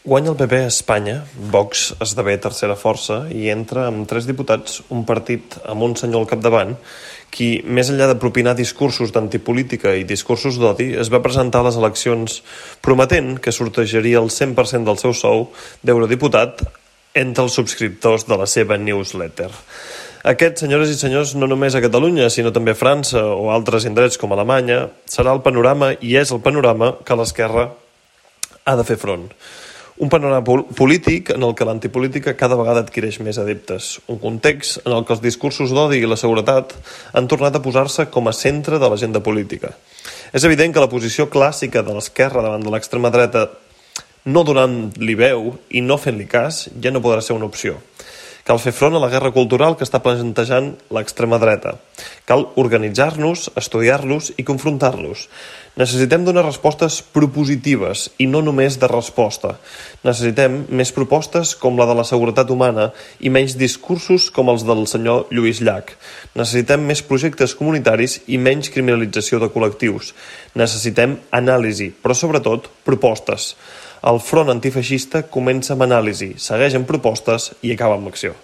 Guanya el PP a Espanya, Vox esdevé tercera força i entra amb 3 diputats, un partit amb un senyor al capdavant, qui, més enllà de propinar discursos d'antipolítica i discursos d'odi, es va presentar a les eleccions prometent que sortejaria el 100% del seu sou d'eurodiputat entre els subscriptors de la seva newsletter. Aquest, senyores i senyors, no només a Catalunya, sinó també a França o altres indrets com Alemanya, serà el panorama i és el panorama que l'esquerra ha de fer front. Un panorama polític en el que l'antipolítica cada vegada adquireix més adeptes. Un context en el que els discursos d'odi i la seguretat han tornat a posar-se com a centre de l'agenda política. És evident que la posició clàssica de l'esquerra davant de l'extrema dreta, no donant-li veu i no fent-li cas, ja no podrà ser una opció. Cal fer front a la guerra cultural que està plantejant l'extrema dreta. Cal organitzar-nos, estudiar-los i confrontar-los. Necessitem donar respostes propositives i no només de resposta. Necessitem més propostes com la de la seguretat humana i menys discursos com els del senyor Lluís Llach. Necessitem més projectes comunitaris i menys criminalització de col·lectius. Necessitem anàlisi, però sobretot propostes. El front antifeixista comença amb anàlisi, segueix amb propostes i acaba amb acció.